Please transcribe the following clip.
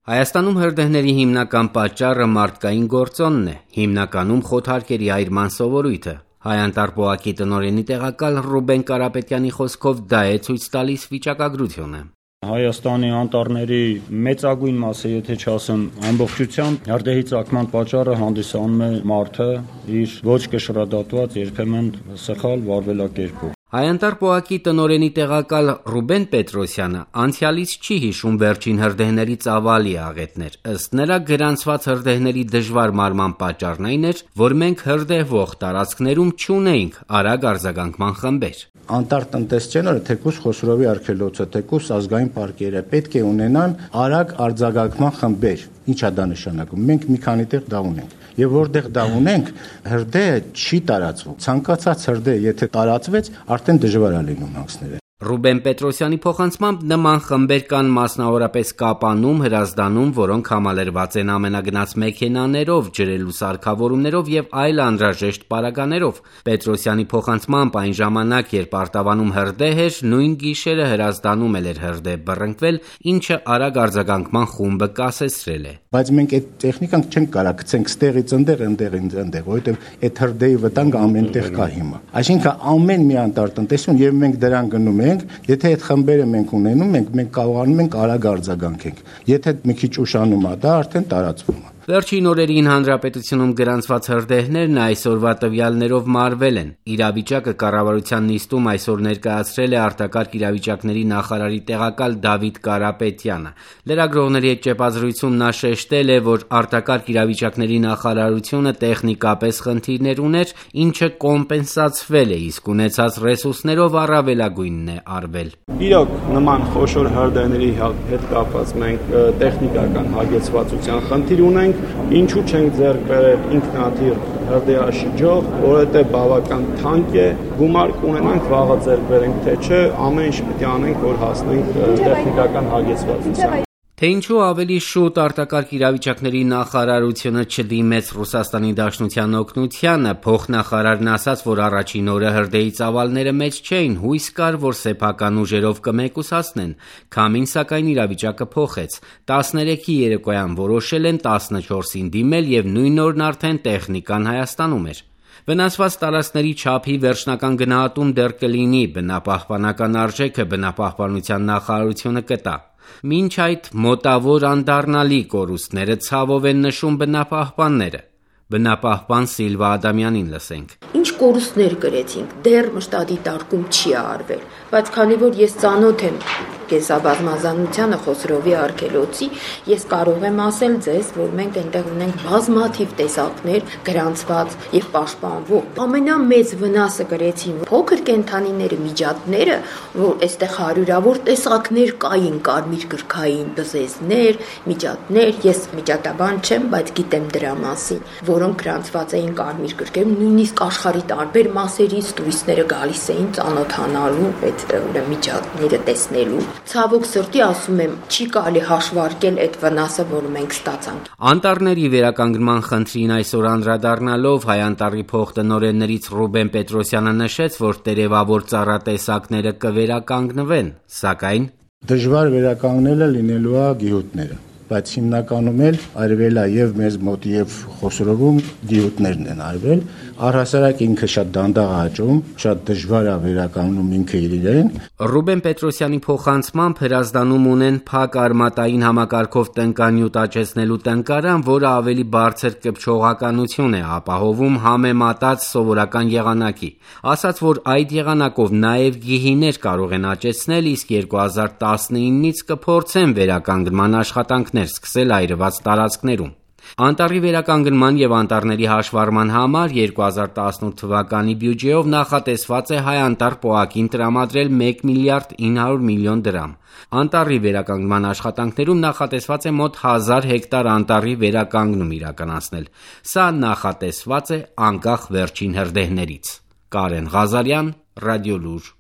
Հայաստանում հրդեհների հիմնական պատճառը մարդկային գործոնն է, հիմնականում խոթարկերի այրման սովորույթը։ Հայ-Անտառ-ՊՕԱԿ-ի տնօրենի տեղակալ Ռուբեն Կարապետյանի խոսքով դա է ցույց տալիս վիճակագրությունը։ Հայաստանի անտառների մեծագույն մասը, եթե չասեմ ամբողջությամբ, հրդեհի ծագման պատճառը հանդիսանում է մարդը իր ոչ կշռադատված, երբեմն սխալ վարվելակերպով։ Հայ-Անտառ-ՊՕԱԿ-ի տնօրենի տեղակալ Ռուբեն Պետրոսյանը անցյալից չի հիշում վերջին հրդեհների ծավալի աղետներ։ Ըստ նրա, գրանցված հրդեհների դժվար մարման պատճառն այն էր, որ մենք հրդեհվող տարածքներում չունեինք արագ արձագանքման խմբեր։ Անտառ-տնտեսչները, թեկուզ Խոսրովի արգելոցը, թեկուզ ազգային պարկերը պետք է ունենան արագ արձագանքման խմբեր։ Ինչ է դա նշանակում։ Մենք մի քանի տեղ դա ունենք։ Եվ որտեղ դա ունենք, հրդեհը չի տարածվում։ Ցանկացած հրդեհ, եթե տարածվեց, արդեն դժվար է լինում հանքսները։ Ռուբեն Պետրոսյանի փոխանցմամբ նման խմբեր կան մասնավորապես Կապանում, Հրազդանում, որոնք համալրված են ամենագնաց մեքենաներով, ջրելու սարքավորումներով եւ այլ անհրաժեշտ պարագաներով։ Պետրոսյանի փոխանցմամբ այն ժամանակ, երբ արտավանում հրդեհ էր, նույն գիշերը Հրազդանում էր հրդեհ բռնկվել, ինչը արագ արձագանքման խումբը կասեցրել է։ Բայց մենք այդ տեխնիկան չենք կարող գցենք ստեղից այնտեղ, որովհետեւ այդ հրդեհի վտանգը ամենտեղ կա հիմա։ Այսինքն ամեն մի անտառ-տնտեսություն եւ մենք դրան գնում ենք, եթե այդ խմբերը մենք ունենում ենք, մենք կարողանում ենք արագ արձագանքենք։ Եթե մի քիչ ուշանում է, դա արդեն տարածվում է։ Վերջին օրերին հանրապետությունում գրանցված հրդեհներն այսօրվա տվյալներով մարվել են։ Իրավիճակը կառավարության նիստում այսօր ներկայացրել է արտակարգ իրավիճակների նախարարի տեղակալ Դավիթ Կարապետյանը։ Լրագրողների հետ ճեպազրույցում նա շեշտել է, որ արտակարգ իրավիճակների նախարարությունը տեխնիկապես խնդիրներ ուներ, ինչը կոմպենսացվել է, իսկ ունեցած ռեսուրսներով առավելագույնն է արվել։ Իրոք նման խոշոր հրդեհների հետ կապված մենք տեխնիկական հագեցվածության խնդիր ունենք, ինչու չենք ձեռք բերել ինքնաթիռ հրդեհաշիջող, որովհետև բավական թանկ է, գումար կունենանք վաղը ձեռք բերենք, թե չէ, ամեն ինչ պետք է անենք, որ հասնենք տեխնիկական հագեցվածության։ Թե ինչու ավելի շուտ արտակարգ իրավիճակների նախարարությունը չդիմեց Ռուսաստանի Դաշնության օգնությանը, փոխնախարարն ասաց, որ առաջին օրը հրդեհի ծավալները մեծ չէին, հույս կար, որ սեփական ուժերով կմեկուսացնեն։ Քամին, սակայն, իրավիճակը փոխեց։ 13-ի երեկոյան որոշել են 14-ին դիմել եւ նույն օրն արդեն տեխնիկան Հայաստանում էր։ Վնասված տարածքների չափի վերջնական գնահատում դեռ կլինի, բնապահպանական արժեքը բնապահպանության նախարարությունը կտա։ Մինչ այդ մոտավոր անդառնալի կորուստները ցավով են նշում բնապահպանները։ Բնապահպան Սիլվա Ադամյանին լսենք։ Ինչ կորուստներ կրեցինք, դեռ մշտադիտարկում չի արվել, բայց քանի որ ես ծանոթ եմ կենսաբազմազանությանը Խոսրովի արգելոցի, ես կարող եմ ասել ձեզ, որ մենք այնտեղ ունենք բազմաթիվ տեսակներ գրանցված եւ պաշտպանվող։ Ամենամեծ վնասը կրեցին փոքր կենդանիները, միջատները, որ այստեղ հարյուրավոր տեսակներ կային, կարմիր գրքային բզեզներ, միջատներ, ես միջատաբան չեմ, բայց գիտեմ դրա մասին, որոնք գրանցված էին կարմիր գրքերում, նույնիսկ աշխարհի տարբեր մասերից տուրիստները գալիս էին ծանոթանալու այդ միջատները տեսնելու։ Ցավոք սրտի ասում եմ, չի կարելի հաշվարկել այդ վնասը, որը մենք ստացանք։ Անտառների վերականգնման խնդրին այսօր անդրադառնալով Հայ-Անտառի փոխտնօրեններից Ռուբեն Պետրոսյանը նշեց, որ տերևավոր ծառատեսակները կվերականգնվեն, սակայն դժվար վերականգնելը լինելու է գյուտները, բայց հիմնականում էլ արվել է եւ մեզ մոտ եւ Խոսրովում գյուտներն են արվել։ Առհասարակ ինքը շատ դանդաղ աճում, շատ դժվար է վերականգնում ինքը իրեն։ Ռուբեն Պետրոսյանի փոխանցմամբ Հրազդանում ունեն փակ արմատային համակարգով տնկանյութ աճեցնելու տնկարան, որը ավելի բարձր կպչողականություն է ապահովում համեմատած սովորական եղանակի։ Ասաց, որ այդ եղանակով նաեւ գիհիներ կարող են աճեցնել, իսկ 2019-ից կփորձեն վերականգնման աշխատանքներ սկսել այրված տարածքներում։ Անտառի վերականգնման եւ անտառների հաշվառման համար 2018 թվականի բյուջեով նախատեսված է Հայ-Անտառ-ՊՕԱԿ-ին տրամադրել 1 միլիարդ 900 միլիոն դրամ։ Անտառի վերականգնման աշխատանքներում նախատեսված է մոտ 1000 հեկտար անտառի վերականգնում իրականացնել։ Սա նախատեսված է անկախ վերջին հրդեհներից։ Կարեն Ղազարյան, Ռադիոլուր։